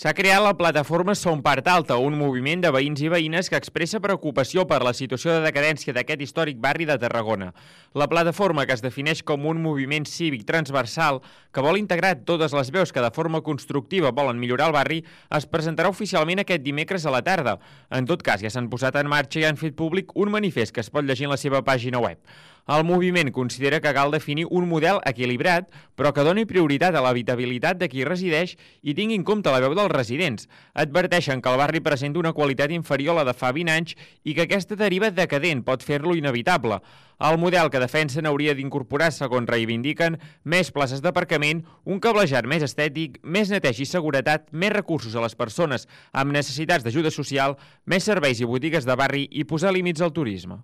S'ha creat la plataforma Som Part Alta, un moviment de veïns i veïnes que expressa preocupació per la situació de decadència d'aquest històric barri de Tarragona. La plataforma, que es defineix com un moviment cívic transversal que vol integrar totes les veus que de forma constructiva volen millorar el barri, es presentarà oficialment aquest dimecres a la tarda. En tot cas, ja s'han posat en marxa i han fet públic un manifest que es pot llegir en la seva pàgina web. El moviment considera que cal definir un model equilibrat, però que doni prioritat a l'habitabilitat de qui resideix i tingui en compte la veu dels residents. Adverteixen que el barri presenta una qualitat inferior a la de fa 20 anys i que aquesta deriva decadent pot fer-lo inevitable. El model que defensen hauria d'incorporar, segons reivindiquen, més places d'aparcament, un cablejat més estètic, més neteja i seguretat, més recursos a les persones amb necessitats d'ajuda social, més serveis i botigues de barri i posar límits al turisme.